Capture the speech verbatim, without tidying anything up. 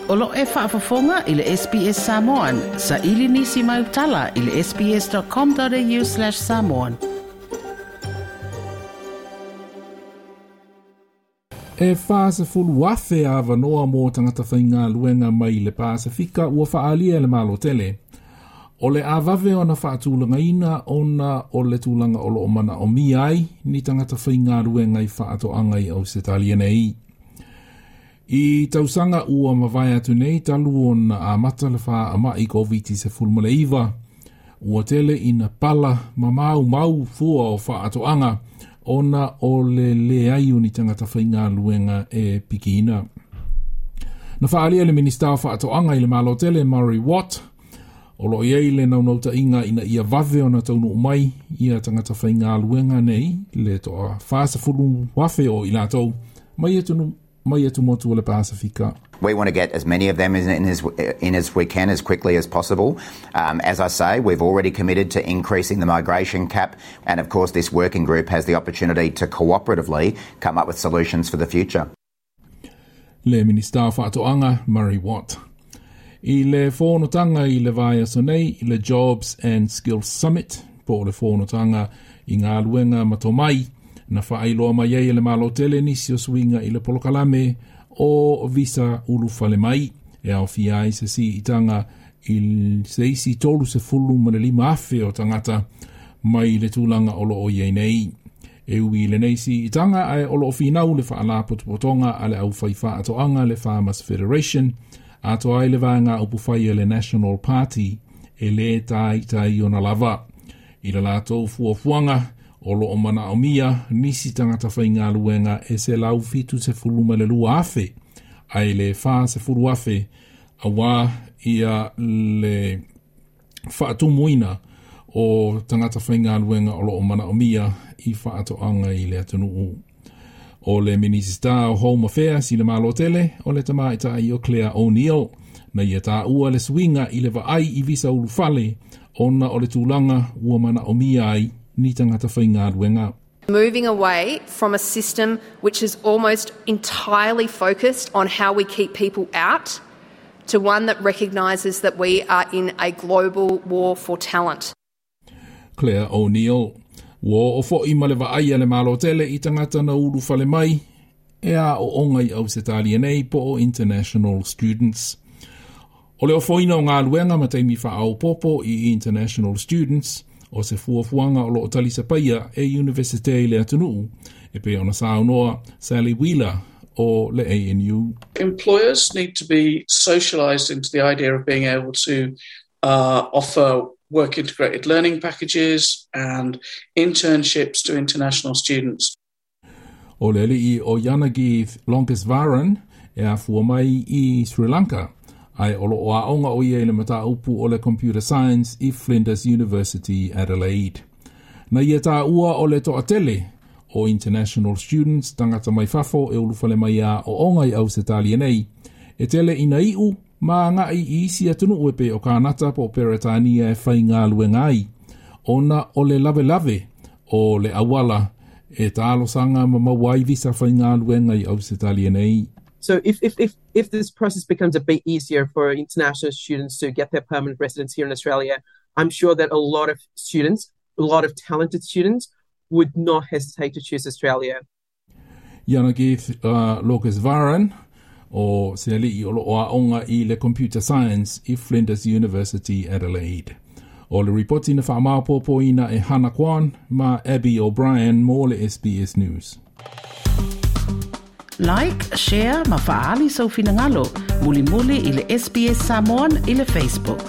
O lo e faafofoga i le S B S Samoan, sa ili nisi mai utala i le sbs.com.au slash samoan. E whāsefulu afe a wanoa mō tangata whainga luenga mai le Pasifika ua whaalia le malo tele. O le awave ona whaatūlangaina ona o le tūlanga o lo o mana o mi ai ni tangata whainga luenga i whaatoanga i Ausetalia nei. I tausanga ua mawai atu nei talu ona a mata le wha ama i COVID se fulmale iwa. Ua tele ina pala mamau mau fua o whaatoanga ona o le le ai o ni tangata whainga luenga e pikina. Na whaalia le Minista o Whaatoanga i le Malo Tele Murray Watt, o lo iei le naunauta inga ina ia vave ona taunu mai ia tangata whainga luenga nei le toa whaasafulu wafe o i lātou mai etunu mai atu motu o le Pasifika. We want to get as many of them in, in, as, in as we can as quickly as possible. Um, as I say, we've already committed to increasing the migration cap, and of course this working group has the opportunity to cooperatively come up with solutions for the future. Le Minista Whaatoanga, Murray Watt. I le whonotanga i le vaia sonei, i le Jobs and Skills Summit, po o le whonotanga i ngā luenga matomai, na whaailoa mai ai le malo tele nisi o suinga i le polokalame o visa ulu fale mai. E au fia ai se si itanga i se isi tolu se fulu ma le lima afe o tangata mai le tūlanga o lo o iei nei. E ui le nei si itanga ai o lo o finau le whaala potopotonga a le au whaiwha atoanga le Farmers Federation ato ai le vaanga upu whai le National Party e le tai tai ona lava. I le lātou fuafuanga o lo o mana o mia, nisi tangata whainga luenga e se lau fitu se fuluma le lua afe, ai le wha se fulu afe, a wā ia le whaatumuina o tangata whainga luenga o lo o mana o mia i whaatoanga i le atunuu. O le Minista o Home Affairs i le malo tele, o le tamaita i o Claire O'Neill, na ia tā ua le suinga i le vaai i visa ulufale, ona o le tūlanga ua mana o mia ai, ni tangata whainga luenga. Moving away from a system which is almost entirely focused on how we keep people out to one that recognises that we are in a global war for talent. Claire O'Neill, ua o fo'i ma le vaai a le malo tele i tangata na ulu fale mai, e a o onga i Ausetalia nei po o international students. O le ofoina o ngā luenga ma teimi whaaupopo i international students, o se fuafuanga o lo o talisa paia e Universite i le atunuu, e pe ona saunoa Sally Wheeler o le A N U. Employers need to be socialised into the idea of being able to uh, offer work integrated learning packages and internships to international students. O le alii o Yanagith Lonkesvaran e afua mai i Sri Lanka, ai o lo o aonga o ia i le mataupu o le Computer Science i Flinders University Adelaide. Na ia tā ua o le toatele o international students tangata mai fafo e ulufale mai a o onga i Ausetalia nei, e tele ina iu ma ngai i isi atunu e pe o Kanata po Peretania e whai ngā luenga ai, ona o le lave lave o le awala e tālosanga ma mawai visa whai ngā luenga i Ausetalia nei. So if, if, if, if this process becomes a bit easier for international students to get their permanent residence here in Australia, I'm sure that a lot of students, a lot of talented students, would not hesitate to choose Australia. Yanagith uh, Lokesvaran, o se alii o lo o aonga i le Computer Science i Flinders University Adelaide. O le ripoti na whaamāpopo ina e Hannah Kwan ma Abby O'Brien mō le S B S News. Like, share, ma faali sau finangalo, muli muli i le S B S Samoan i le Facebook.